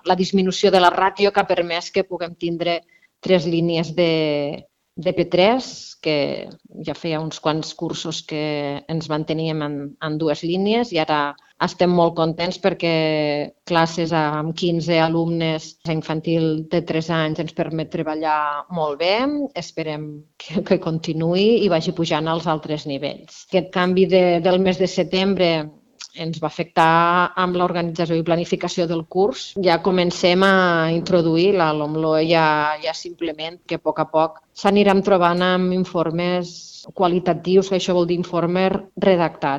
la disminució de la ràtio que ha permès que puguem tindre 3 línies de P3, que ja feia uns quants cursos que ens manteníem en 2 línies i ara estem molt contents perquè classes amb 15 alumnes a infantil de 3 anys ens permet treballar molt bé. Esperem que continuï i vagi pujant als altres nivells. Aquest canvi del mes de setembre ens va afectar amb l'organització i planificació del curs. Ja comencem a introduir la LOMLOE ja simplement que a poc s'aniran trobant amb informes qualitatius, que això vol dir informes redactats.